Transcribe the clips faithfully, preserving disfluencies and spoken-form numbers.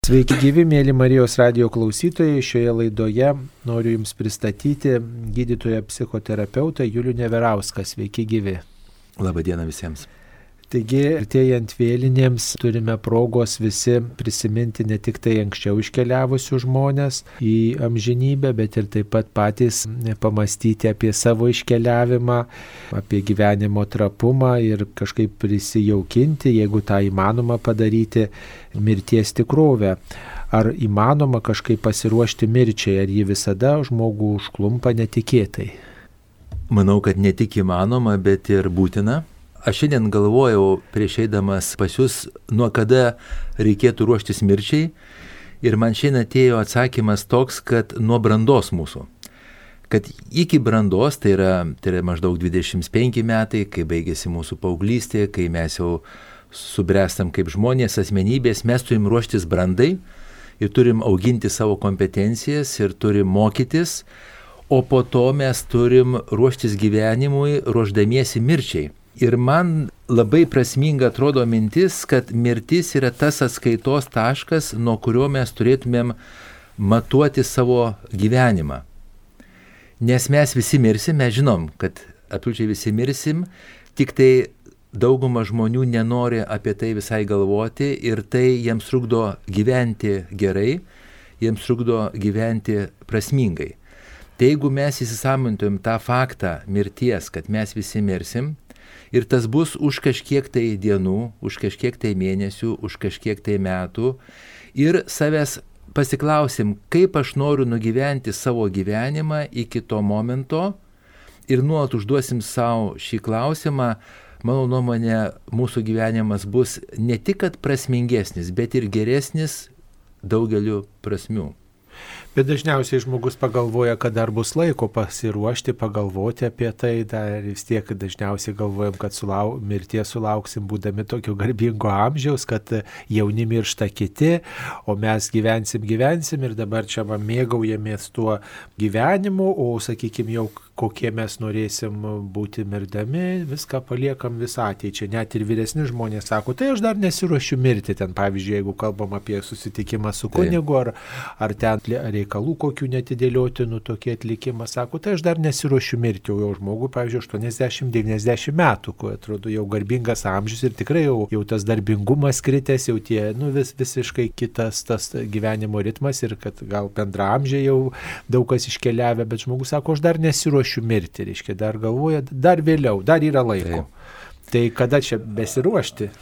Sveiki gyvi, mėly Marijos radijo klausytojai. Šioje laidoje noriu Jums pristatyti gydytoją psichoterapeutą Julių Neverauską. Sveiki gyvi. Labą dieną visiems. Taigi, artėjant vėlinėms turime progos visi prisiminti ne tik tai anksčiau iškeliavusių žmonės į amžinybę, bet ir taip pat patys pamastyti apie savo iškeliavimą, apie gyvenimo trapumą ir kažkaip prisijaukinti, jeigu tą įmanoma padaryti, mirties tikrovę. Ar įmanoma kažkaip pasiruošti mirčiai, ar ji visada žmogų užklumpa netikėtai? Manau, kad ne tik įmanoma, bet ir būtina. Aš šiandien galvojau prieš eidamas pas jūs, nuo kada reikėtų ruoštis mirčiai, ir man šiandien atėjo atsakymas toks, kad nuo brandos mūsų. Kad iki brandos, tai yra, tai yra maždaug dvidešimt penki metai, kai baigėsi mūsų paauglystė, kai mes jau subręstam kaip žmonės, asmenybės, mes turim ruoštis brandai ir turim auginti savo kompetencijas ir turim mokytis, o po to mes turim ruoštis gyvenimui, ruošdamiesi mirčiai. Ir man labai prasminga atrodo mintis, kad mirtis yra tas atskaitos taškas, nuo kurio mes turėtumėm matuoti savo gyvenimą. Nes mes visi mirsim, mes žinom, kad absoliučiai visi mirsim, tik tai dauguma žmonių nenori apie tai visai galvoti ir tai jiems trukdo gyventi gerai, jiems trukdo gyventi prasmingai. Tai jeigu mes įsisąmonintumėm tą faktą mirties, kad mes visi mirsim, ir tas bus už kažkiek tai dienų, už kažkiek tai mėnesių, už kažkiek tai metų. Ir savęs pasiklausim, kaip aš noriu nugyventi savo gyvenimą iki to momento. Ir nuolat užduosim savo šį klausimą. Mano nuomonė, mūsų gyvenimas bus ne tik kad prasmingesnis, bet ir geresnis daugeliu prasmių. Bet dažniausiai žmogus pagalvoja, kad dar bus laiko pasiruošti, pagalvoti apie tai, dar vis tiek dažniausiai galvojam, kad sulau, mirties sulauksim būdami tokio garbingo amžiaus, kad jauni miršta kiti, o mes gyvensim, gyvensim ir dabar čia va mėgaujamės tuo gyvenimu, o sakykime jau kokie mes norėsim būti mirdami, viską paliekam visą ateičią. Net ir vyresni žmonės sako, tai aš dar nesiruošiu mirti ten, pavyzdžiui, jeigu kalbam apie susitikimą su kunigu ar, ar ten reikalų kokių netidėliotinų tokį atlikimą, sako, tai aš dar nesiruošiu mirti, o jau žmogui, pavyzdžiui, aštuoniasdešimt devyniasdešimt metų, kuo atrodo jau garbingas amžius ir tikrai jau, jau tas darbingumas kritęs, jau tie, nu, vis, visiškai kitas tas gyvenimo ritmas ir kad gal bendraamžiai jau daug kas iškeliavę, bet žmogus sako, aš dar nesiruošiu mirti, reiškia, dar galvoja, dar vėliau, dar yra laiko. Taip. Tai kada čia besiruošti?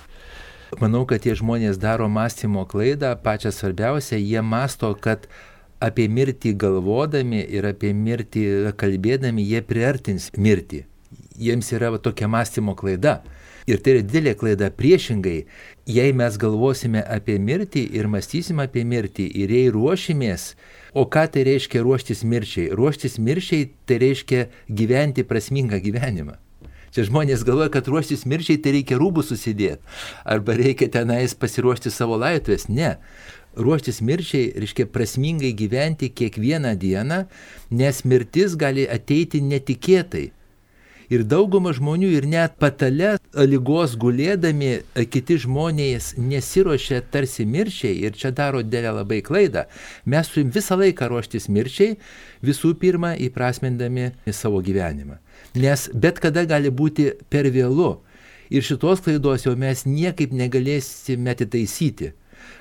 Manau, kad tie žmonės daro mąstymo klaidą, pačią svarbiausią, jie mąsto, kad apie mirtį galvodami ir apie mirtį kalbėdami, jie priartins mirtį. Jiems yra tokia mąstymo klaida. Ir tai yra didelė klaida priešingai. Jei mes galvosime apie mirtį ir mąstysime apie mirtį ir jei ruošimės, o ką tai reiškia ruoštis mirčiai? Ruoštis mirčiai tai reiškia gyventi prasmingą gyvenimą. Čia žmonės galvoja, kad ruoštis mirčiai tai reikia rūbus susidėti, arba reikia tenais pasiruošti savo laidotuvės. Ne. Ruoštis mirčiai reiškia prasmingai gyventi kiekvieną dieną, nes mirtis gali ateiti netikėtai. Ir dauguma žmonių ir net patale ligos gulėdami kiti žmonės nesiruošia tarsi mirčiai ir čia daro didelę labai klaidą. Mes turim visą laiką ruoštis mirčiai, visų pirma įprasmindami savo gyvenimą. Nes bet kada gali būti per vėlu ir šitos klaidos jau mes niekaip negalėsime atitaisyti.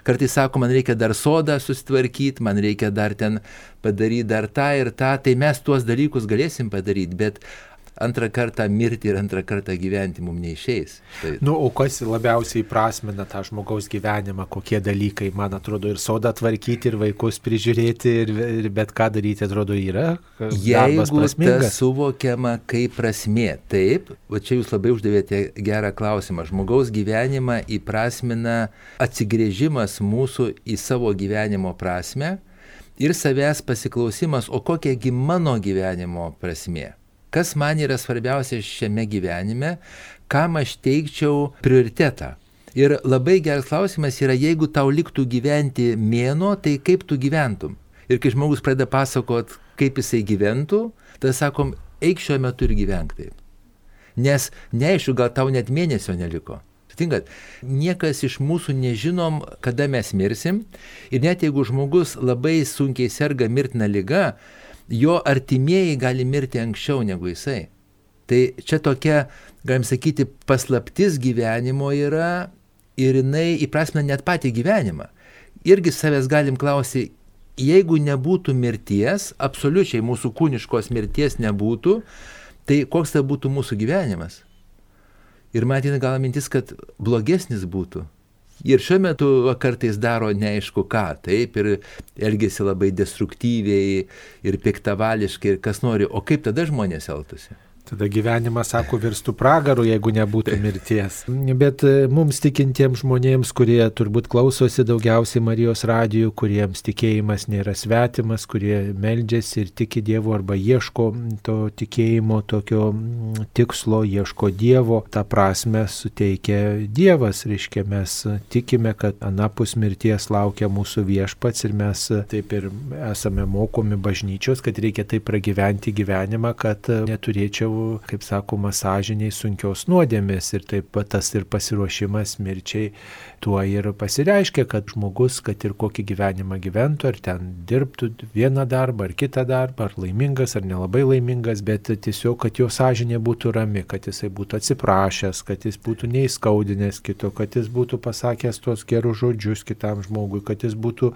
Kartais sako, man reikia dar sodą susitvarkyti, man reikia dar ten padaryti dar tą ir tą, tai mes tuos dalykus galėsim padaryti, bet antrą kartą mirti ir antrą kartą gyventi mums neišeis. Tai... Nu, o kas labiausiai prasmina tą žmogaus gyvenimą, kokie dalykai, man atrodo, ir sodą tvarkyti, ir vaikus prižiūrėti, ir, ir bet ką daryti, atrodo, yra darbas prasmingas. Jeigu tas suvokiama kaip prasmė, taip, va čia jūs labai uždavėte gerą klausimą. Žmogaus gyvenimą įprasmina atsigrėžimas mūsų į savo gyvenimo prasmę ir savęs pasiklausimas, o kokiagi mano gyvenimo prasmė. Kas man yra svarbiausia šiame gyvenime, kam aš teikčiau prioritetą. Ir labai geras klausimas yra, jeigu tau liktų gyventi mėnuo, tai kaip tu gyventum? Ir kai žmogus pradeda pasakot, kaip jisai gyventų, tada sakom, eik šiuo metu ir gyvenk taip. Nes neaišku, gal tau net mėnesio neliko. Sutinkat, niekas iš mūsų nežinom, kada mes mirsim ir net jeigu žmogus labai sunkiai serga mirtina liga, jo artimieji gali mirti anksčiau negu jisai. Tai čia tokia, galim sakyti, paslaptis gyvenimo yra ir jinai įprasmina net patį gyvenimą. Irgi savęs galim klausyti, jeigu nebūtų mirties, absoliučiai mūsų kūniškos mirties nebūtų, tai koks tai būtų mūsų gyvenimas? Ir man ateina gal mintis, kad blogesnis būtų. Ir šiuo metu kartais daro neaišku ką, taip, ir elgesi labai destruktyviai ir piktavališkai ir kas nori, o kaip tada žmonės elgtųsi? Tada gyvenimas, sako, virstų pragaru, jeigu nebūtų mirties. Bet mums tikintiems žmonėms, kurie turbūt klausosi daugiausiai Marijos radijų, kuriems tikėjimas nėra svetimas, kurie meldžiasi ir tiki Dievu arba ieško to tikėjimo, tokio tikslo, ieško Dievo, tą prasme suteikia Dievas. Reiškia, mes tikime, kad anapus mirties laukia mūsų viešpats ir mes taip ir esame mokomi bažnyčios, kad reikia taip pragyventi gyvenimą, kad neturėčiau, kaip sakoma, sąžiniai sunkios nuodėmės ir taip pat tas ir pasiruošimas mirčiai tuo ir pasireiškia, kad žmogus, kad ir kokį gyvenimą gyventų, ar ten dirbtų vieną darbą, ar kitą darbą, ar laimingas, ar nelabai laimingas, bet tiesiog, kad jo sąžinė būtų rami, kad jisai būtų atsiprašęs, kad jis būtų neįskaudinęs kito, kad jis būtų pasakęs tuos gerus žodžius kitam žmogui, kad jis būtų,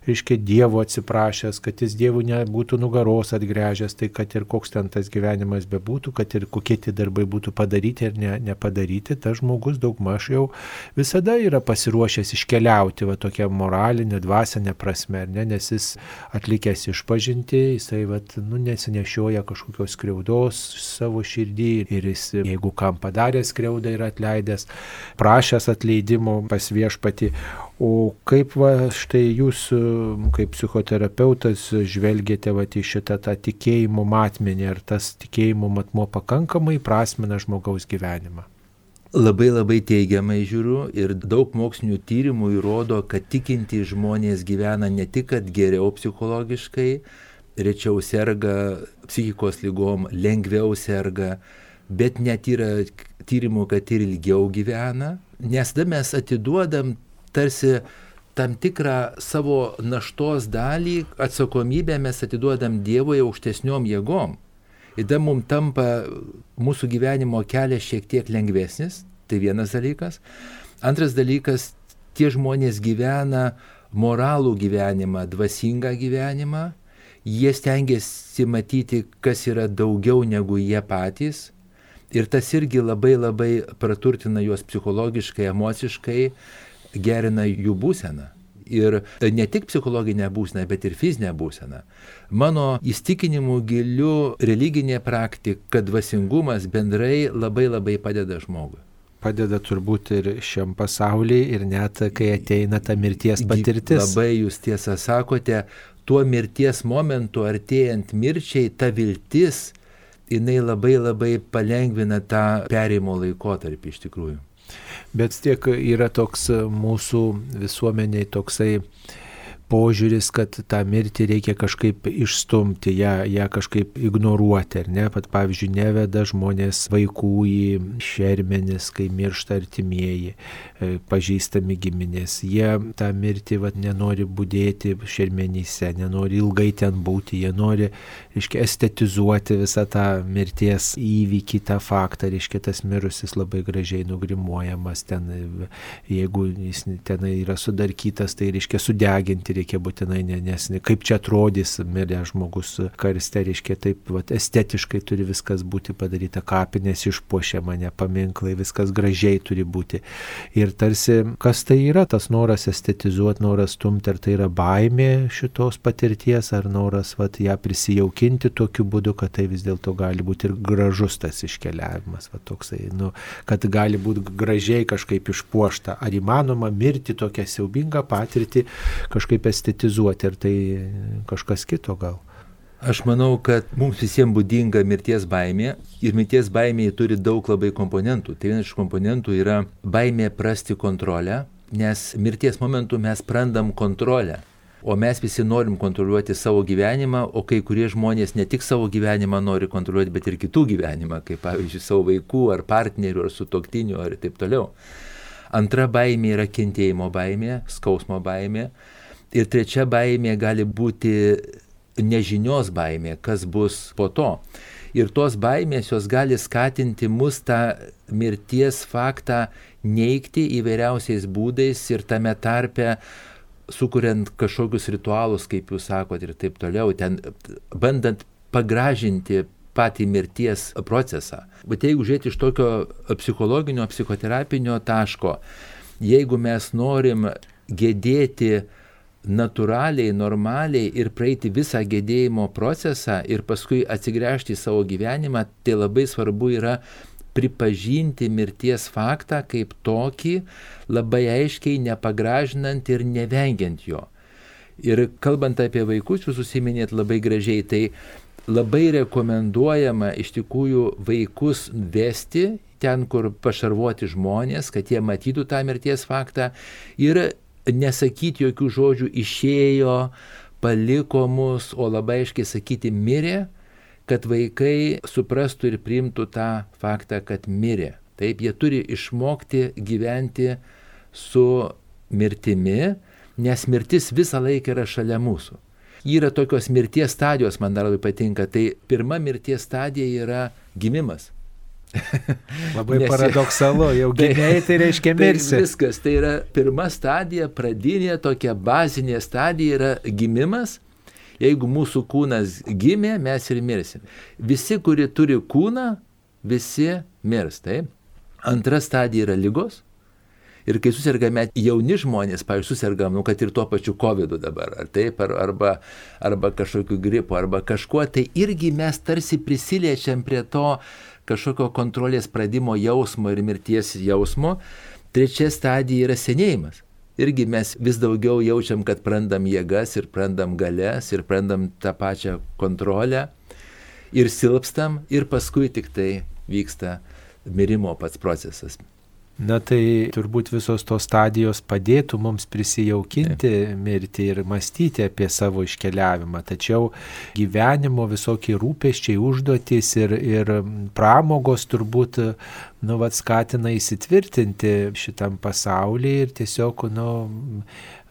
reiškia, Dievo atsiprašęs, kad jis Dievui nebūtų nugaros atgręžęs, tai kad ir koks ten tas gyvenimas bebūtų, kad ir kokie tie darbai būtų padaryti ir ne, nepadaryti, tas žmogus daugmaž jau visada yra pasiruošęs iškeliauti, va tokia moralinė, dvasinė prasme, ne, nes jis atlikęs išpažinti, jisai va, nu, nesinešioja kažkokios skriaudos savo širdį ir jis, jeigu kam padarė skriaudą ir atleidęs, prašęs atleidimo pas viešpatį. O kaip va štai jūs, kaip psichoterapeutas, žvelgėte va į šitą tą tikėjimo matmenį, ar tas tikėjimo matmuo pakankamai prasmina žmogaus gyvenimą? Labai labai teigiamai žiūriu ir daug mokslinių tyrimų įrodo, kad tikintys žmonės gyvena ne tik kad geriau psichologiškai, rečiau serga psichikos lygom, lengviau serga, bet net yra tyrimų, kad ir ilgiau gyvena, nes tada mes atiduodam tarsi tam tikrą savo naštos dalį, atsakomybę mes atiduodam Dievui aukštesniom jėgom. Ir tada mums tampa mūsų gyvenimo kelias šiek tiek lengvesnis, tai vienas dalykas. Antras dalykas, tie žmonės gyvena moralų gyvenimą, dvasingą gyvenimą, jie stengiasi matyti, kas yra daugiau negu jie patys. Ir tas irgi labai labai praturtina juos psichologiškai, emociškai, gerina jų būseną. Ir ne tik psichologinę būseną, bet ir fizinę būseną. Mano įstikinimu giliu religinė praktika, kad dvasingumas bendrai labai labai padeda žmogui. Padeda turbūt ir šiam pasauliui, ir net kai ateina ta mirties patirtis. Labai jūs tiesą sakote, tuo mirties momentu artėjant mirčiai, ta viltis, jinai labai labai palengvina tą perėjimo laikotarpį iš tikrųjų. Bet tiek yra toks mūsų visuomeniai toksai požiūris, kad tą mirtį reikia kažkaip išstumti, ją, ją kažkaip ignoruoti, ar ne? Pat pavyzdžiui, neveda žmonės vaikų į šermenis, kai miršta artimieji, pažįstami giminės. Jie tą mirtį vat, nenori budėti šermenyse, nenori ilgai ten būti, jie nori, reiškia, estetizuoti visą tą mirties įvykį, tą faktą, reiškia, tas mirusis labai gražiai nugrimuojamas, ten, jeigu jis ten yra sudarkytas, tai reiškia sudeginti reikia būtinai, nes kaip čia atrodys miręs žmogus karste, reiškia taip vat, estetiškai turi viskas būti padaryta, kapinės išpuošiama, ne paminklai, viskas gražiai turi būti. Ir tarsi, kas tai yra tas noras estetizuoti, noras stumti, ar tai yra baimė šitos patirties, ar noras vat, ją prisijaukinti tokiu būdu, kad tai vis dėlto gali būti ir gražus tas iškeliavimas, vat, toksai, nu, kad gali būti gražiai kažkaip išpuošta. Ar įmanoma mirti tokią siaubingą patirtį kažkaip estetizuoti, ar tai kažkas kito gal? Aš manau, kad mums visiems būdinga mirties baimė ir mirties baimėje turi daug labai komponentų. Tai vienas iš komponentų yra baimė prarasti kontrolę, nes mirties momentu mes prarandam kontrolę, o mes visi norim kontroliuoti savo gyvenimą, o kai kurie žmonės ne tik savo gyvenimą nori kontroliuoti, bet ir kitų gyvenimą, kaip pavyzdžiui savo vaikų ar partnerių ar sutuoktinių ar taip toliau. Antra baimė yra kentėjimo baimė, skausmo baimė. Ir trečia baimė gali būti nežinios baimė, kas bus po to. Ir tos baimės jos gali skatinti mus tą mirties faktą neigti įvairiausiais būdais ir tame tarpe sukuriant kažkokius ritualus, kaip jūs sakot, ir taip toliau, ten bandant pagražinti patį mirties procesą. Bet jeigu žiūrėti iš tokio psichologinio, psichoterapinio taško, jeigu mes norim gedėti natūraliai, normaliai ir praeiti visą gedėjimo procesą ir paskui atsigręžti į savo gyvenimą, tai labai svarbu yra pripažinti mirties faktą kaip tokį, labai aiškiai nepagražinant ir nevengiant jo. Ir kalbant apie vaikus, jūs užsiminėt labai gražiai, tai labai rekomenduojama iš tikrųjų vaikus vesti ten, kur pašarvuoti žmonės, kad jie matytų tą mirties faktą ir nesakyti jokių žodžių išėjo, paliko mus, o labai aiškiai sakyti mirė, kad vaikai suprastų ir priimtų tą faktą, kad mirė. Taip, jie turi išmokti gyventi su mirtimi, nes mirtis visą laiką yra šalia mūsų. Yra tokios mirties stadijos, man dar labai patinka. Tai pirma mirties stadija yra gimimas. Labai Nes, paradoksalu, jau gimėjai, tai reiškia mirsi. Tai viskas, tai yra pirma stadija, pradinė, tokia bazinė stadija yra gimimas. Jeigu mūsų kūnas gimė, mes ir mirsim. Visi, kurie turi kūną, visi mirs. Taip? Antra stadija yra ligos. Ir kai susirgame jauni žmonės, pavyzdžiui, susirgam, nu, kad ir tuo pačiu kovidu dabar, ar taip, ar, arba, arba kažkokiu gripu, arba kažkuo, tai irgi mes tarsi prisiliečiam prie to kažkokio kontrolės pradimo jausmo ir mirties jausmo. Trečia stadija yra senėjimas. Irgi mes vis daugiau jaučiam, kad prarandam jėgas ir prarandam galias ir prarandam tą pačią kontrolę ir silpstam ir paskui tik tai vyksta mirimo pats procesas. Na tai turbūt visos tos stadijos padėtų mums prisijaukinti mirtį ir mąstyti apie savo iškeliavimą. Tačiau gyvenimo visokie rūpesčiai, užduotys ir, ir pramogos turbūt nu, vat, skatina įsitvirtinti šitam pasaulyje ir tiesiog nu,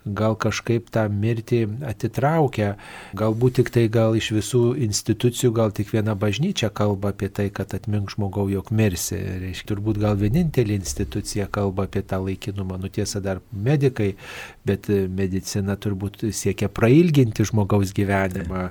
gal kažkaip tą mirtį atitraukia. Galbūt tik tai gal iš visų institucijų, gal tik viena bažnyčia kalba apie tai, kad atmink žmogau, jog mirsi. Reiškia, turbūt gal vienintelė institucija kalba apie tą laikinumą. Nu tiesa, dar medikai, bet medicina turbūt siekia prailginti žmogaus gyvenimą,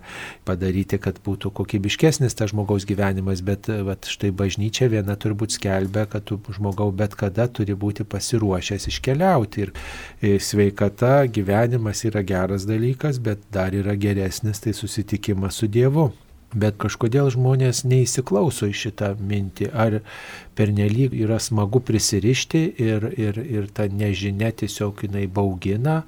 padaryti, kad būtų kokybiškesnis tas žmogaus gyvenimas, bet vat, štai bažnyčia viena turbūt skelbia, kad tu žmogau bet kada turi būti pasiruošęs iškeliauti. Ir sveikata, gyvenimas yra geras dalykas, bet dar yra geresnis tai susitikimas su Dievu. Bet kažkodėl žmonės neįsiklauso į šitą mintį, ar pernelyg yra smagu prisirišti ir, ir, ir ta nežinia tiesiog jinai baugina.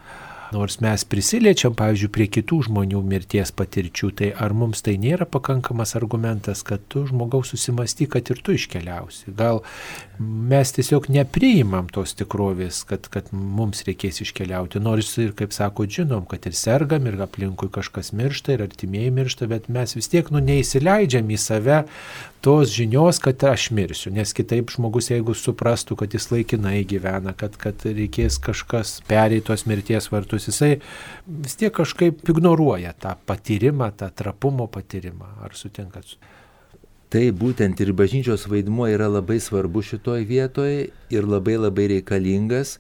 Nors mes prisiliečiam, pavyzdžiui, prie kitų žmonių mirties patirčių, tai ar mums tai nėra pakankamas argumentas, kad tu žmogaus susimasty, kad ir tu iškeliausi. Gal mes tiesiog nepriimam tos tikrovės, kad, kad mums reikės iškeliauti. Nors ir, kaip sako, žinom, kad ir sergam, ir aplinkui kažkas miršta, ir artimieji miršta, bet mes vis tiek nu, neįsileidžiam į save tos žinios, kad aš mirsiu, nes kitaip žmogus, jeigu suprastų, kad jis laikinai gyvena, kad, kad reikės kažkas pereiti tos mirties vartus, jisai vis tiek kažkaip ignoruoja tą patyrimą, tą trapumo patyrimą. Ar sutinkat? Tai būtent ir bažnyčios vaidmuo yra labai svarbu šitoj vietoje ir labai labai reikalingas.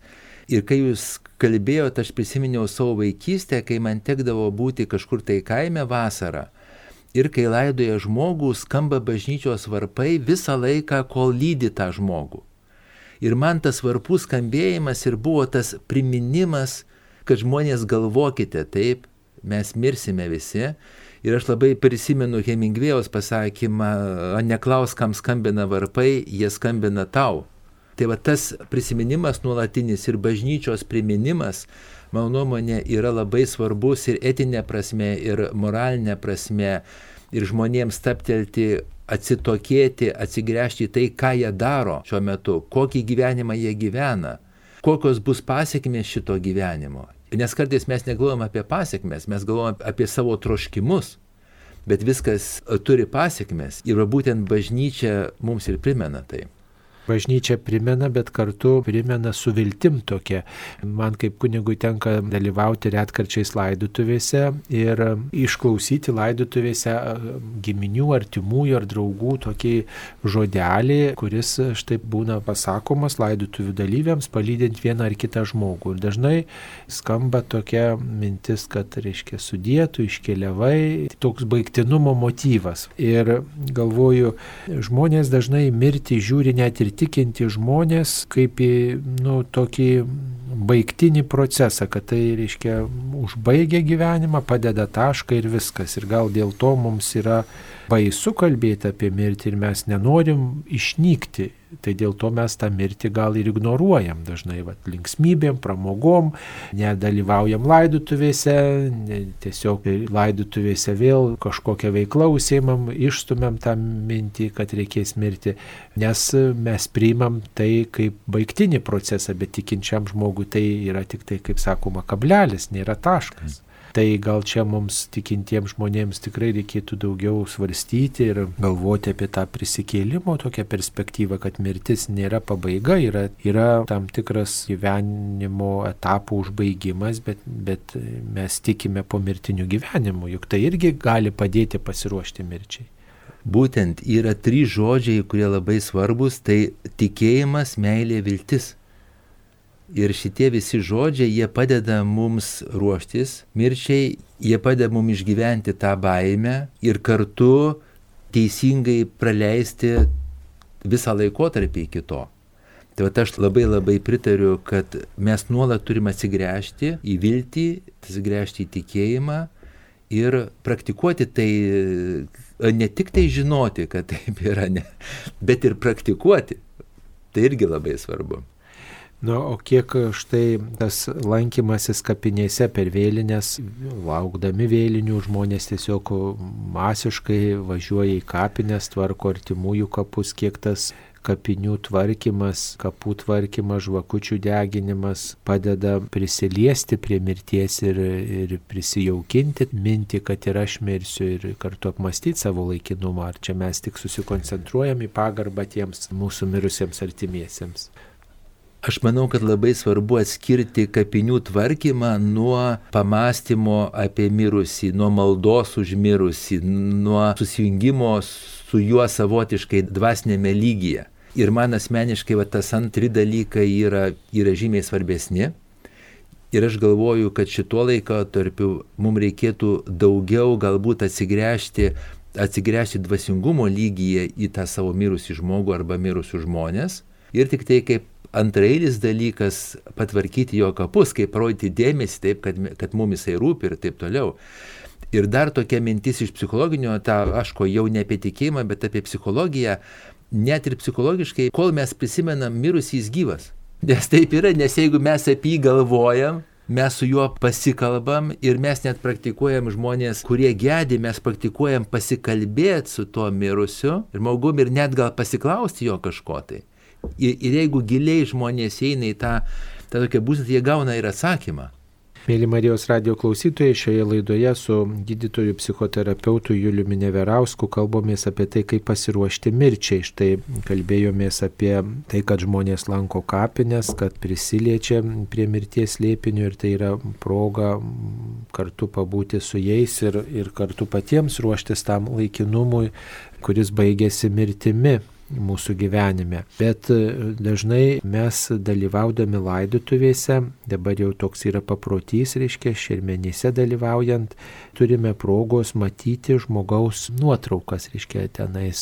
Ir kai jūs kalbėjote, aš prisiminiau savo vaikystę, kai man tekdavo būti kažkur tai kaime vasarą. Ir kai laidoja žmogų, skamba bažnyčios varpai visą laiką, kol lydi tą žmogų. Ir man tas varpų skambėjimas ir buvo tas priminimas, kad žmonės galvokite, taip, mes mirsime visi. Ir aš labai prisimenu Hemingvėjaus pasakymą, neklaus, kam skambina varpai, jie skambina tau. Tai va tas prisiminimas nuolatinis ir bažnyčios priminimas, mano nuomonė, yra labai svarbus ir etinė prasme, ir moralinė prasme, ir žmonėms staptelti, atsitokėti, atsigręžti į tai, ką jie daro šiuo metu, kokį gyvenimą jie gyvena, kokios bus pasiekmės šito gyvenimo. Nes kartais mes negalvojam apie pasiekmes, mes galvojam apie savo troškimus, bet viskas turi pasiekmes ir būtent bažnyčia mums ir primena tai. Bažnyčia primena, bet kartu primena su viltim tokia. Man kaip kunigui tenka dalyvauti retkarčiais laidotuvėse ir išklausyti laidotuvėse giminių, artimųjų ar draugų tokį žodelį, kuris štai būna pasakomas laidotuvių dalyviams, palydint vieną ar kitą žmogų. Ir dažnai skamba tokia mintis, kad, reiškia, sudėtų, iškeliavai, toks baigtinumo motyvas. Ir galvoju, žmonės dažnai mirti žiūri net ir tikinti žmonės kaip į, nu, tokį baigtinį procesą, kad tai, reiškia, užbaigia gyvenimą, padeda tašką ir viskas. Ir gal dėl to mums yra baisu kalbėti apie mirtį ir mes nenorim išnykti. Tai dėl to mes tą mirtį gal ir ignoruojam dažnai, va, linksmybėm, pramogom, nedalyvaujam laidotuvėse, ne, tiesiog laidotuvėse vėl kažkokią veiklą užsiimam, išstumėm tą mintį, kad reikės mirti, nes mes priimam tai kaip baigtinį procesą, bet tikinčiam žmogui tai yra tik tai, kaip sakoma, kablelis, nėra taškas. Tai gal čia mums tikintiems žmonėms tikrai reikėtų daugiau svarstyti ir galvoti apie tą prisikėlimo tokią perspektyvą, kad mirtis nėra pabaiga, yra, yra tam tikras gyvenimo etapų užbaigimas, bet, bet mes tikime po mirtinių gyvenimų, juk tai irgi gali padėti pasiruošti mirčiai. Būtent yra trys žodžiai, kurie labai svarbus, tai tikėjimas, meilė, viltis. Ir šitie visi žodžiai, jie padeda mums ruoštis mirčiai, jie padeda mums išgyventi tą baimę ir kartu teisingai praleisti visą laikotarpį iki to. Tai vat aš labai labai pritariu, kad mes nuolat turime atsigręžti į viltį, atsigręžti į tikėjimą ir praktikuoti tai, ne tik tai žinoti, kad taip yra, ne, bet ir praktikuoti. Tai irgi labai svarbu. Na, o kiek štai tas lankymasis kapinėse per vėlinės, laukdami vėlinių, žmonės tiesiog masiškai važiuoja į kapines, tvarko artimųjų kapus, kiek tas kapinių tvarkymas, kapų tvarkymas, žvakučių deginimas padeda prisiliesti prie mirties ir, ir prisijaukinti mintį, kad ir aš mirsiu, ir kartu apmastyti savo laikinumą. Ar čia mes tik susikoncentruojam į pagarbą tiems mūsų mirusiems artimiesiems? Aš manau, kad labai svarbu atskirti kapinių tvarkymą nuo pamąstymo apie mirusį, nuo maldos už mirusį, nuo susijungimo su juo savotiškai dvasinėme lygyje. Ir man asmeniškai va, tas antri dalykai yra, yra žymiai svarbesni. Ir aš galvoju, kad šituo laikotarpiu mums reikėtų daugiau galbūt atsigręžti, atsigręžti dvasingumo lygyje į tą savo mirusį žmogų arba mirusius žmonės. Ir tik tai kaip antrailis dalykas patvarkyti jo kapus, kaip parodyti dėmesį, taip, kad, kad mums jisai rūpi ir taip toliau. Ir dar tokia mintis iš psichologinio, ta, aš ko jau ne apie tikėjimą, bet apie psichologiją, net ir psichologiškai, kol mes prisimenam mirusį, jis gyvas. Nes taip yra, nes jeigu mes apie jį galvojam, mes su juo pasikalbam ir mes net praktikuojam žmonės, kurie gedi, mes praktikuojam pasikalbėti su tuo mirusiu ir žmogum ir net gal pasiklausti jo kažko tai. Ir, ir jeigu giliai žmonės eina į tą, tą tokią būseną, jie gauna ir atsakymą. Mėly Marijos radijo klausytojai, šioje laidoje su gydytoju psichoterapeutu Juliumi Neverausku kalbamės apie tai, kaip pasiruošti mirčiai. Štai kalbėjomės apie tai, kad žmonės lanko kapines, kad prisiliečia prie mirties slėpinio ir tai yra proga kartu pabūti su jais ir, ir kartu patiems ruoštis tam laikinumui, kuris baigėsi mirtimi mūsų gyvenime. Bet dažnai mes dalyvaudami laidotuvėse, dabar jau toks yra paprotys, reiškia, šermenyse dalyvaujant, turime progos matyti žmogaus nuotraukas, reiškia, tenais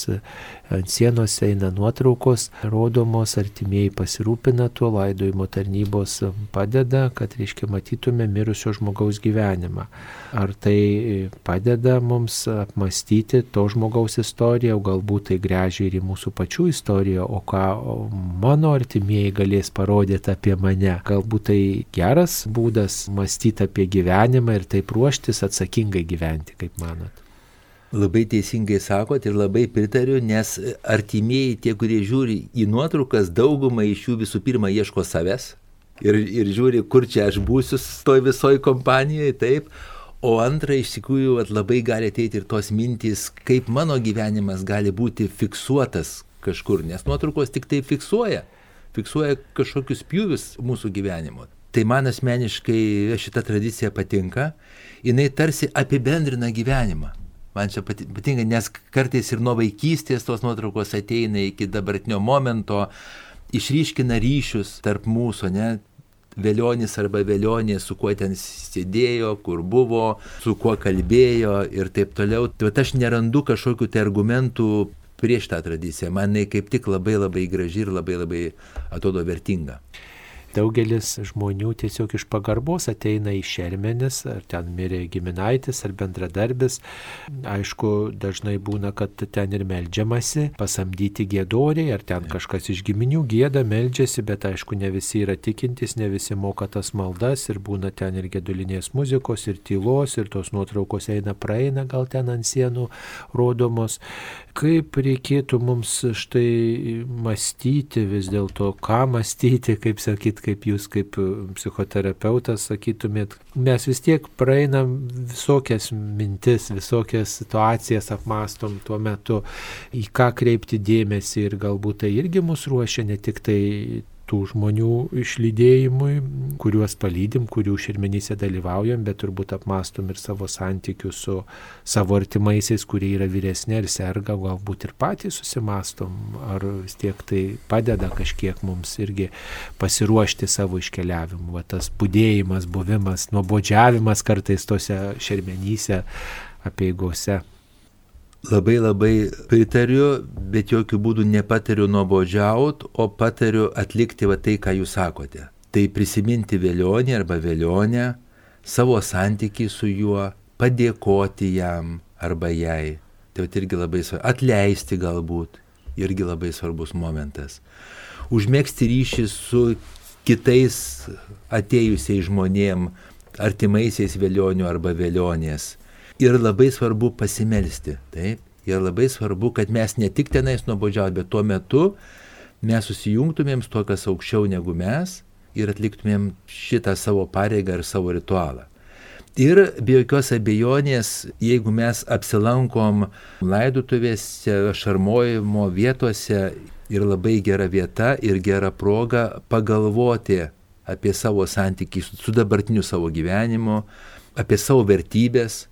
ant sienos eina nuotraukos, rodomos, artimieji pasirūpina tuo, laidojimo tarnybos padeda, kad, reiškia, matytume mirusio žmogaus gyvenimą. Ar tai padeda mums apmastyti to žmogaus istoriją, o galbūt tai gręžia ir į mūsų pačių istoriją, o ką mano artimieji galės parodyti apie mane. Galbūt tai geras būdas mąstyti apie gyvenimą ir taip ruoštis atsakingai gyventi, kaip manot? Labai teisingai sakot ir labai pritariu, nes artimieji, tie, kurie žiūri į nuotraukas, daugumą iš jų visų pirma ieško savęs ir, ir žiūri, kur čia aš būsiu toj visoj kompanijoje, taip. O antra, iš tikrųjų, labai gali ateiti ir tos mintys, kaip mano gyvenimas gali būti fiksuotas kažkur, nes nuotraukos tik tai fiksuoja, fiksuoja kažkokius pjūvius mūsų gyvenimo. Tai man asmeniškai šita tradicija patinka, jinai tarsi apibendrina gyvenimą. Man čia patinka, nes kartais ir nuo vaikystės tos nuotraukos ateina iki dabartinio momento, išryškina ryšius tarp mūsų, ne? Velionis arba velionė, su kuo ten sėdėjo, kur buvo, su kuo kalbėjo ir taip toliau. Tai aš nerandu kažkokių tai argumentų prieš tą tradiciją. Man jinai kaip tik labai labai graži ir labai labai atrodo vertinga. Daugelis žmonių tiesiog iš pagarbos ateina į šermenis, ar ten mirė giminaitis, ar bendradarbis. Aišku, dažnai būna, kad ten ir meldžiamasi, pasamdyti giedoriai, ar ten kažkas iš giminių gieda, meldžiasi, bet aišku, ne visi yra tikintys, ne visi moka tas maldas ir būna ten ir gedulinės muzikos, ir tylos, ir tos nuotraukos eina praeina, gal ten ant sienų rodomos. Kaip reikėtų mums štai mąstyti vis dėlto, ką mąstyti, kaip sakyt, kaip jūs kaip psichoterapeutas sakytumėt, mes vis tiek praeinam visokias mintis, visokias situacijas apmąstom tuo metu, į ką kreipti dėmesį ir galbūt tai irgi mus ruošia ne tik tai tų žmonių išlydėjimui, kuriuos palydim, kurių šermenyse dalyvaujam, bet turbūt apmąstom ir savo santykius su savo artimaisiais, kurie yra vyresni ir serga, galbūt ir patys susimąstom, ar vis tiek tai padeda kažkiek mums irgi pasiruošti savo iškeliavimu. Va, tas budėjimas, buvimas, nuobodžiavimas kartais tose šermenyse, apeigose. Labai labai pritariu, bet jokių būdų nepatariu nuobodžiaut, o patariu atlikti va tai, ką jūs sakote. Tai prisiminti velionį arba velionę, savo santykį su juo, padėkoti jam arba jai. Tai va irgi labai svarbu. Atleisti galbūt, irgi labai svarbus momentas. Užmegzti ryšį su kitais atėjusiais žmonėm, artimaisiais velionių arba velionės. Ir labai svarbu pasimelsti, taip? Ir labai svarbu, kad mes ne tik tenais nuobodžiaut, bet tuo metu mes susijungtumėm su to, kas aukščiau negu mes ir atliktumėm šitą savo pareigą ir savo ritualą. Ir be jokios abejonės, jeigu mes apsilankom laidotuvėse, šarmojimo vietose, ir labai gera vieta ir gera proga pagalvoti apie savo santykį su dabartiniu savo gyvenimu, apie savo vertybės,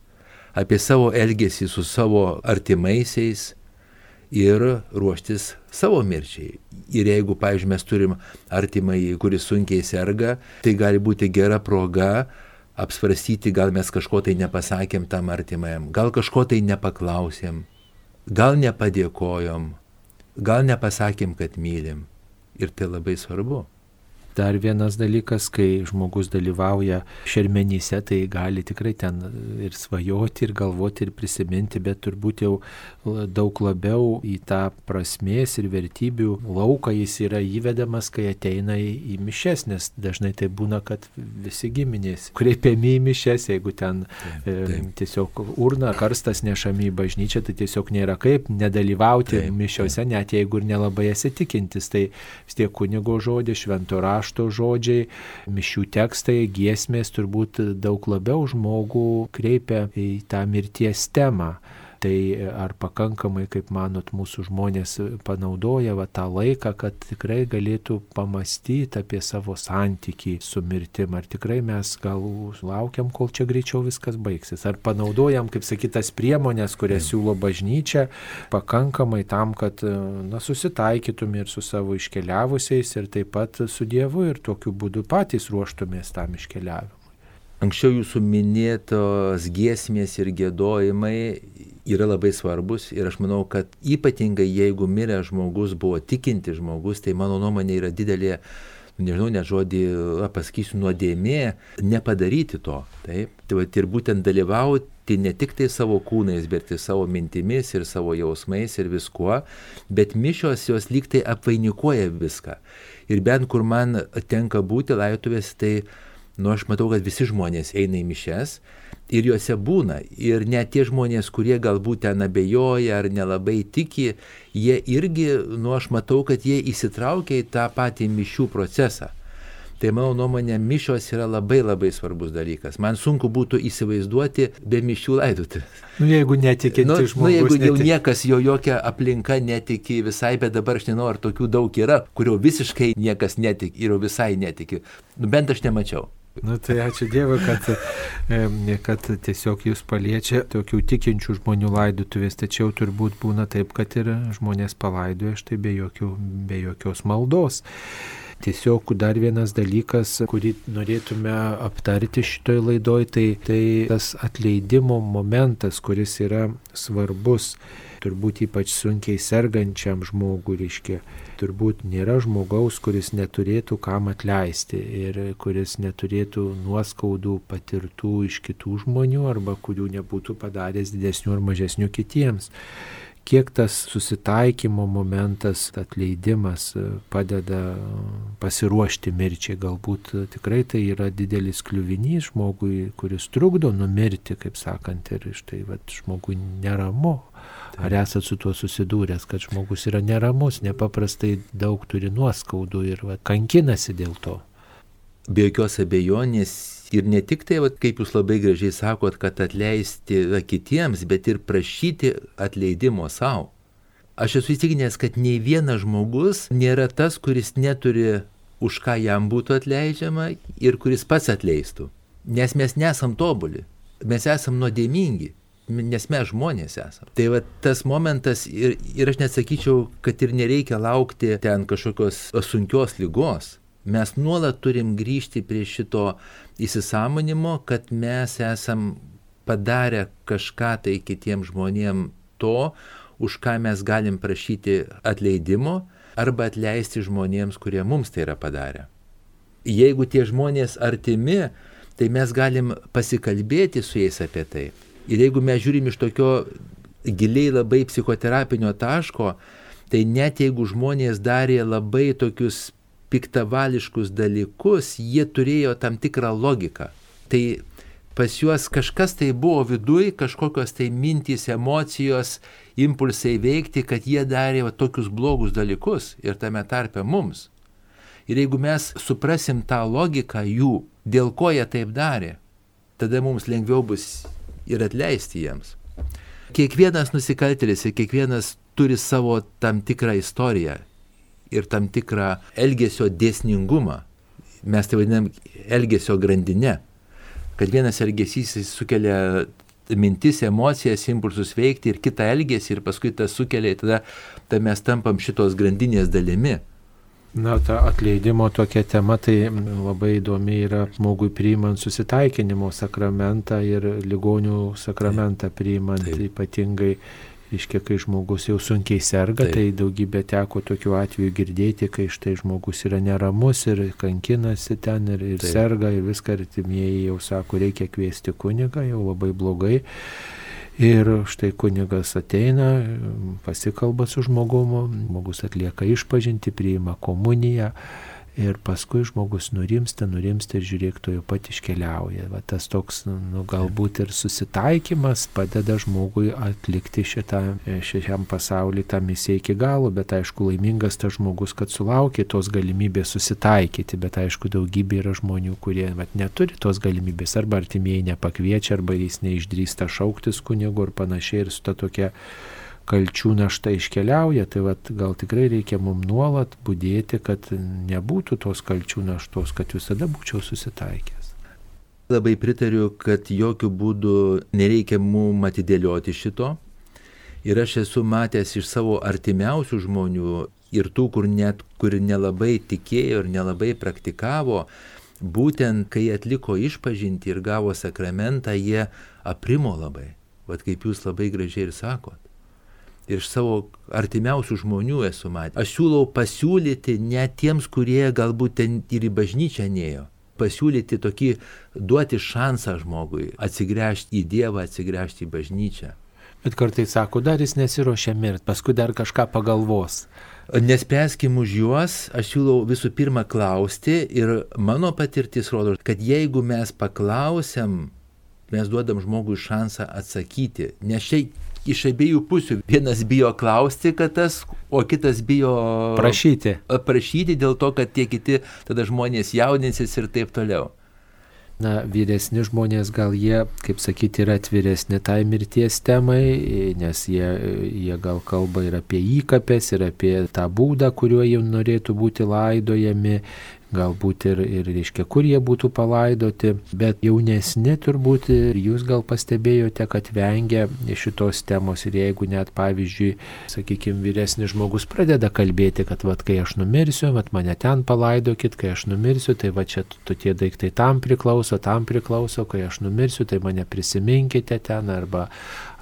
apie savo elgesį su savo artimaisiais ir ruoštis savo mirčiai. Ir jeigu, pavyzdžiui, mes turim artimąjį, kuris sunkiai serga, tai gali būti gera proga apsvarstyti, gal mes kažko tai nepasakėm tam artimajam, gal kažko tai nepaklausėm, gal nepadėkojom, gal nepasakėm, kad mylim. Ir tai labai svarbu. Dar vienas dalykas, kai žmogus dalyvauja šermenyse, tai gali tikrai ten ir svajoti, ir galvoti, ir prisiminti, bet turbūt jau daug labiau į tą prasmės ir vertybių lauką jis yra įvedamas, kai ateina į mišias, nes dažnai tai būna, kad visi giminės kreipiami į mišias, jeigu ten taip, taip. E, tiesiog urna, karstas nešami į bažnyčią, tai tiesiog nėra kaip nedalyvauti taip, mišiose, taip. Net jeigu ir nelabai esi tikintis, tai vis tiek kunigo žodis, švento rašto žodžiai, mišių tekstai, giesmės turbūt daug labiau žmogų kreipia į tą mirties temą. Tai ar pakankamai, kaip manot, mūsų žmonės panaudoja va, tą laiką, kad tikrai galėtų pamastyti apie savo santykį su mirtim, ar tikrai mes gal laukiam, kol čia greičiau viskas baigsis, ar panaudojam, kaip sakytas, priemonės, kurias siūlo bažnyčia, pakankamai tam, kad na, susitaikytume ir su savo iškeliavusiais ir taip pat su Dievu ir tokiu būdu patys ruoštumės tam iškeliavimui. Anksčiau jūsų minėtos giesmės ir giedojimai yra labai svarbus ir aš manau, kad ypatingai jeigu miręs žmogus buvo tikinti žmogus, tai mano nuomonė yra didelė, nežinau, net žodį pasakysiu, nuodėmė nepadaryti to. Taip? Tai va, ir būtent dalyvauti ne tik tai savo kūnais, bet ir savo mintimis ir savo jausmais ir viskuo, bet mišios jos lyg tai apvainikuoja viską. Ir bent kur man tenka būti laidotuvės, tai nu, aš matau, kad visi žmonės eina į mišias ir juose būna. Ir net tie žmonės, kurie galbūt ten abejoja ar nelabai tiki, jie irgi, nu, aš matau, kad jie įsitraukia į tą patį mišių procesą. Tai mano nuomonė, mišios yra labai labai svarbus dalykas. Man sunku būtų įsivaizduoti be mišių laidotuvės. Nu, jeigu netikinti nu, žmogus. Nu, jeigu jau netik... niekas, jo jokia aplinka netiki visai, bet dabar aš nežinau, ar tokių daug yra, kurio visiškai niekas netiki ir visai netiki. Nu, bent aš nemačiau. Nu, tai ačiū Dievui, kad, kad tiesiog jūs paliečia tokių tikinčių žmonių laidotuvės, tačiau turbūt būna taip, kad ir žmonės palaidoja štai be, jokių, be jokios maldos. Tiesiog dar vienas dalykas, kurį norėtume aptarti šitoj laidoj, tai, tai tas atleidimo momentas, kuris yra svarbus, turbūt ypač sunkiai sergančiam žmogui, reiškia, turbūt nėra žmogaus, kuris neturėtų kam atleisti ir kuris neturėtų nuoskaudų patirtų iš kitų žmonių arba kurių nebūtų padaręs didesnių ar mažesnių kitiems. Kiek tas susitaikymo momentas, atleidimas padeda pasiruošti mirčiai. Galbūt tikrai tai yra didelis kliuvinys žmogui, kuris trukdo numirti, kaip sakant, ir štai vat, žmogui neramu. Ar esat su tuo susidūręs, kad žmogus yra neramus, nepaprastai daug turi nuoskaudų ir vat, kankinasi dėl to? Be jokios abejonės. Ir ne tik tai, vat, kaip jūs labai gražiai sakot, kad atleisti kitiems, bet ir prašyti atleidimo savo. Aš esu įsitikinęs, kad nei vienas žmogus nėra tas, kuris neturi už ką jam būtų atleidžiama ir kuris pats atleistų. Nes mes nesam tobuli, mes esam nuodėmingi, nes mes žmonės esam. Tai va tas momentas ir, ir aš nesakyčiau, kad ir nereikia laukti ten kažkokios sunkios ligos. Mes nuolat turim grįžti prie šito įsisąmonimo, kad mes esam padarę kažką tai kitiems žmonėms to, už ką mes galim prašyti atleidimo arba atleisti žmonėms, kurie mums tai yra padarę. Jeigu tie žmonės artimi, tai mes galim pasikalbėti su jais apie tai. Ir jeigu mes žiūrim iš tokio giliai labai psichoterapinio taško, tai net jeigu žmonės darė labai tokius piktavališkus dalykus, jie turėjo tam tikrą logiką. Tai pas juos kažkas tai buvo viduj, kažkokios tai mintys, emocijos, impulsai veikti, kad jie darė va, tokius blogus dalykus ir tame tarpe mums. Ir jeigu mes suprasim tą logiką jų, dėl ko jie taip darė, tada mums lengviau bus ir atleisti jiems. Kiekvienas nusikaltėlis ir kiekvienas turi savo tam tikrą istoriją ir tam tikrą elgesio dėsningumą. Mes tai vadinam elgesio grandinę. Kad vienas elgesys sukelia mintis, emocijas, impulsus veikti ir kitą elgesį ir paskui tas sukelia, tada, tada mes tampam šitos grandinės dalimi. Na, ta atleidimo tokia tema, tai labai įdomi yra žmogui priimant susitaikinimo sakramentą ir ligonių sakramentą priimant, taip. Ypatingai, reiškia, kai žmogus jau sunkiai serga, taip. Tai daugybė teko tokių atvejų girdėti, kai štai žmogus yra neramus ir kankinasi ten ir, ir serga ir viską artimieji jau sako, reikia kviesti kunigą, jau labai blogai. Ir štai kunigas ateina, pasikalba su žmogumu, žmogus atlieka išpažintį, priima komuniją ir paskui žmogus nurimsta, nurimsta ir žiūrėk, to jau pat iškeliauja. Va, tas toks, nu, galbūt ir susitaikymas padeda žmogui atlikti šitą, šiam pasauliu tą misiją iki galo, bet aišku, laimingas tas žmogus, kad sulaukė tos galimybės susitaikyti, bet aišku, daugybė yra žmonių, kurie vat, neturi tos galimybės, arba artimieji nepakviečia, arba jis neišdrįsta šauktis kunigo ir panašiai ir su ta tokia kalčių našta iškeliauja, tai vat, gal tikrai reikia mums nuolat budėti, kad nebūtų tos kalčių naštos, kad visada būčiau susitaikęs. Labai pritariu, kad jokių būdų nereikia mums atidėlioti šito. Ir aš esu matęs iš savo artimiausių žmonių ir tų, kur net kur nelabai tikėjo ir nelabai praktikavo, būtent kai atliko išpažintį ir gavo sakramentą, jie aprimo labai. Vat kaip jūs labai gražiai ir sakot. Ir iš savo artimiausių žmonių esu matęs. Aš siūlau pasiūlyti net tiems, kurie galbūt ten ir į bažnyčią nėjo. Pasiūlyti tokį, duoti šansą žmogui, atsigręžti į Dievą, atsigręžti į bažnyčią. Bet kartais sako, dar jis nesiruošia mirti, paskui dar kažką pagalvos. Nespręskim už juos, aš siūlau visų pirma klausti ir mano patirtis rodo, kad jeigu mes paklausiam, mes duodam žmogui šansą atsakyti, nes šiai iš abiejų pusių. Vienas bijo klausti, kad tas, o kitas bijo prašyti. Prašyti dėl to, kad tie kiti tada žmonės jaudinsis ir taip toliau. Na, vyresni žmonės gal jie, kaip sakyti, yra atviresni tai mirties temai, nes jie, jie gal kalba ir apie įkapes, ir apie tą būdą, kuriuo jie norėtų būti laidojami, galbūt ir, ir reiškia, kur jie būtų palaidoti, bet jaunesni turbūt ir jūs gal pastebėjote, kad vengia šitos temos ir jeigu net, pavyzdžiui, sakykime, vyresnis žmogus pradeda kalbėti, kad vat, kai aš numirsiu, vat, mane ten palaidokit, kai aš numirsiu, tai va čia tu tie daiktai tam priklauso, tam priklauso, kai aš numirsiu, tai mane prisiminkite ten arba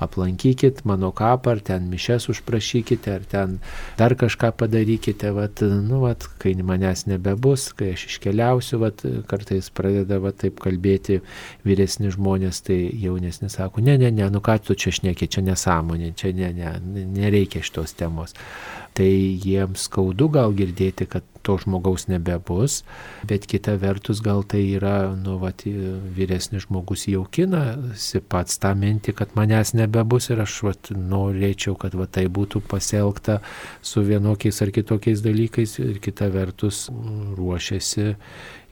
aplankykit mano kapą, ar ten mišes užprašykite, ar ten dar kažką padarykite, vat, nu, vat, kai manęs nebebus, kai aš iškeliausiu, vat, kartais pradeda vat, taip kalbėti vyresni žmonės, tai jaunesni sako, ne, ne, ne, nu ką tu čia šneki, čia nesąmonė, čia ne, ne, nereikia šitos temos. Tai jiems skaudu gal girdėti, kad to žmogaus nebebus, bet kita vertus gal tai yra, nu, vat, vyresnis žmogus jaukinasi pats tą mintį, kad manęs nebebus ir aš vat, norėčiau, kad vat, tai būtų pasielgta su vienokiais ar kitokiais dalykais ir kita vertus ruošiasi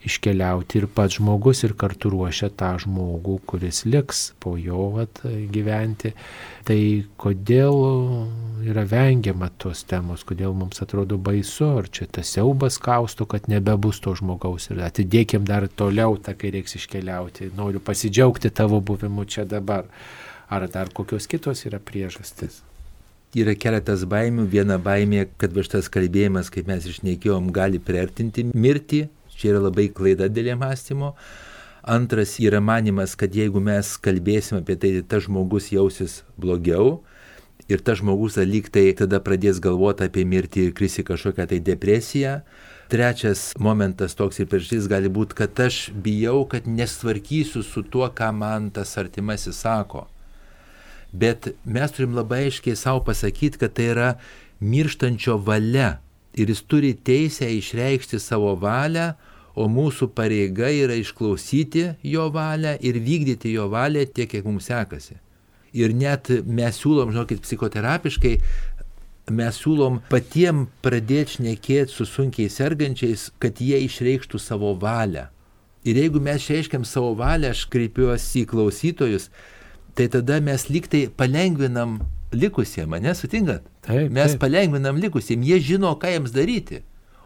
iškeliauti ir pats žmogus ir kartu ruošia tą žmogų, kuris liks po jo vat, gyventi. Tai kodėl yra vengiama tos temos, kodėl mums atrodo baisu, ar čia tas siaubas kausto, kad nebebus to žmogaus ir atidėkim dar toliau, tą, kai reiks iškeliauti, noriu pasidžiaugti tavo buvimu čia dabar. Ar dar kokios kitos yra priežastis? Yra keletas baimių. Viena baimė, kad šitas kalbėjimas, kaip mes išnekėjom, gali priartinti mirtį. Čia yra labai klaida dėl mąstymo. Antras yra manimas, kad jeigu mes kalbėsime apie tai, tas žmogus jausis blogiau ir tas žmogus lyg tai tada pradės galvoti apie mirtį ir kris į kažkokią tai depresiją. Trečias momentas toks ir priežastis gali būti, kad aš bijau, kad nesvarkysiu su tuo, ką man tas artimasis sako. Bet mes turim labai aiškiai savo pasakyti, kad tai yra mirštančio valia ir jis turi teisę išreikšti savo valią, o mūsų pareiga yra išklausyti jo valią ir vykdyti jo valią tiek, kiek mums sekasi. Ir net mes siūlom, žinokit, psichoterapiškai, mes siūlom patiem pradėti šnekėti su sunkiai sergančiais, kad jie išreikštų savo valią. Ir jeigu mes išreiškiam savo valią, aš kreipiuosi į klausytojus, tai tada mes lyg tai palengvinam likusiem, ane, sutinkat? Taip, mes taip. palengvinam likusiem, jie žino, ką jiems daryti.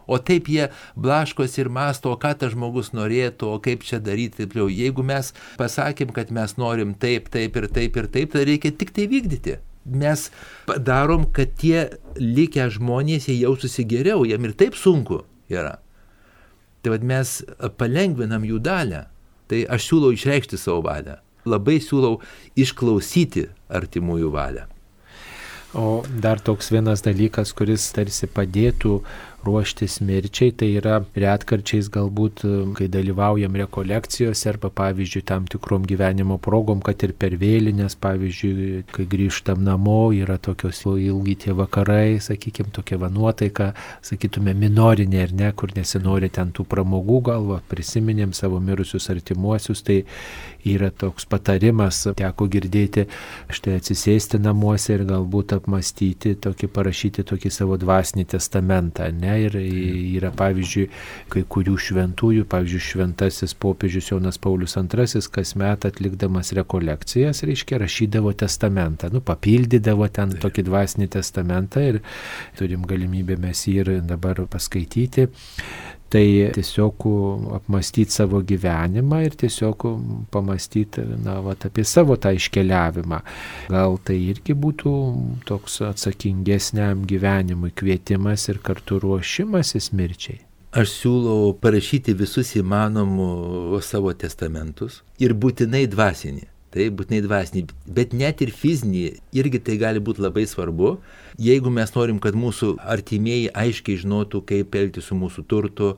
O taip jie blaškosi ir mąsto, o ką tas žmogus norėtų, o kaip čia daryti, taip jau. Jeigu mes pasakėm, kad mes norim taip, taip ir taip ir taip, tai reikia tik tai vykdyti. Mes darom, kad tie likę žmonės jie jaustųsi geriau, jiem ir taip sunku yra. Tai vad mes palengvinam jų dalią. Tai aš siūlau išreikšti savo valią. Labai siūlau išklausyti artimųjų valią. O dar toks vienas dalykas, kuris tarsi padėtų ruoštis mirčiai, tai yra retkarčiais galbūt, kai dalyvaujam rekolekcijose arba, pavyzdžiui, tam tikrom gyvenimo progom, kad ir per vėlinės, pavyzdžiui, kai grįžtam namo, yra tokios ilgi tie vakarai, sakykime, tokia va nuotaika, sakytume, minorinė, ar ne, kur nesinori ten tų pramogų, galva, prisiminėm savo mirusius artimuosius, tai yra toks patarimas, teko girdėti, štai atsisėsti namuose ir galbūt apmastyti, tokį, parašyti tokį savo dvasinį testamentą, ne? Ir yra, pavyzdžiui, kai kurių šventųjų, pavyzdžiui, šventasis popiežius Jonas Paulius antrasis kasmet atlikdamas rekolekcijas, reiškia, rašydavo testamentą, nu, papildydavo ten tai. Tokį dvasinį testamentą ir turim galimybę mes jį ir dabar paskaityti. Tai tiesiog apmastyti savo gyvenimą ir tiesiog pamastyti, na, vat, apie savo tą iškeliavimą. Gal tai irgi būtų toks atsakingesniam gyvenimui kvietimas ir kartu ruošimasis mirčiai. Aš siūlau parašyti visus įmanomus savo testamentus ir būtinai dvasinį. Tai būtinai dvasinį, bet net ir fizinį irgi tai gali būti labai svarbu, jeigu mes norim, kad mūsų artimieji aiškiai žinotų, kaip elgti su mūsų turtu,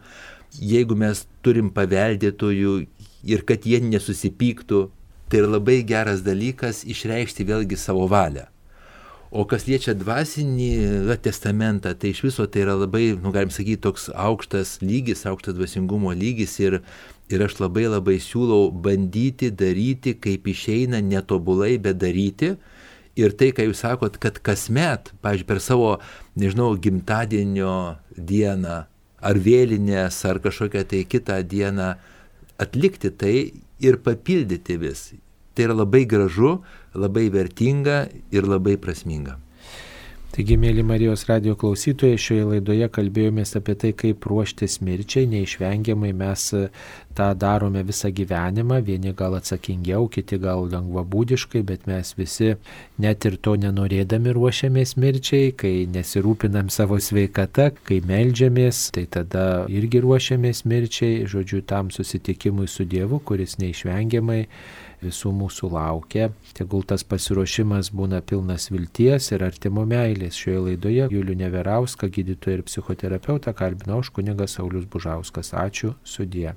jeigu mes turim paveldėtojų ir kad jie nesusipyktų, tai yra labai geras dalykas išreikšti vėlgi savo valią. O kas liečia dvasinį testamentą, tai iš viso tai yra labai, nu, galim sakyti, toks aukštas lygis, aukštas dvasingumo lygis ir, ir aš labai labai siūlau bandyti daryti, kaip išeina, netobulai, bet daryti Ir tai, ką jūs sakot, kad kasmet, pavyzdžiui, per savo, nežinau, gimtadienio dieną, ar vėlinės, ar kažkokią tai kitą dieną atlikti tai ir papildyti vis. Tai yra labai gražu, labai vertinga ir labai prasminga. Taigi, mėly Marijos radijo klausytojai, šioje laidoje kalbėjomės apie tai, kaip ruoštis mirčiai. Neišvengiamai mes tą darome visą gyvenimą, vieni gal atsakingiau, kiti gal lengvabūdiškai, bet mes visi net ir to nenorėdami ruošiamės mirčiai, kai nesirūpinam savo sveikata, kai meldžiamės, tai tada irgi ruošiamės mirčiai, žodžiu, tam susitikimui su Dievu, kuris neišvengiamai visų mūsų laukia. Tegul tas pasiruošimas būna pilnas vilties ir artimo meilės. Šioje laidoje Julių Neverauską, gydytoją ir psichoterapeutą, kalbino aš, kunigas Saulius Bužauskas. Ačiū, sudie.